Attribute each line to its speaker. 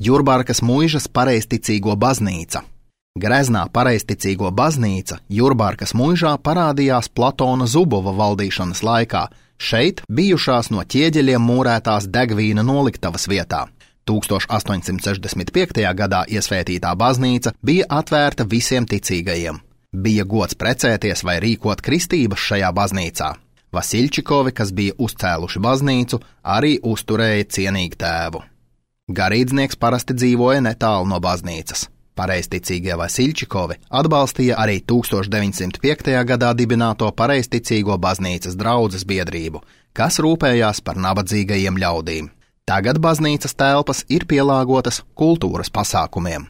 Speaker 1: Jurbarkas muižas pareizticīgo baznīca. Greznā pareizticīgo baznīca Jurbarkas muižā parādījās Platona Zubova valdīšanas laikā, šeit bijušās no ķieģeļiem mūrētās degvīna noliktavas vietā. 1865. gadā iesvētītā baznīca bija atvērta visiem ticīgajiem. Bija gods precēties vai rīkot kristības šajā baznīcā. Vasiļčikovi, kas bija uzcēluši baznīcu, arī uzturēja cienīgu tēvu. Garīdznieks parasti dzīvoja netālu no baznīcas. Pareizticīgie Vasiļčikovi atbalstīja arī 1905. gadā dibināto pareizticīgo baznīcas draudzes biedrību, kas rūpējās par nabadzīgajiem ļaudīm. Tagad baznīcas telpas ir pielāgotas kultūras pasākumiem.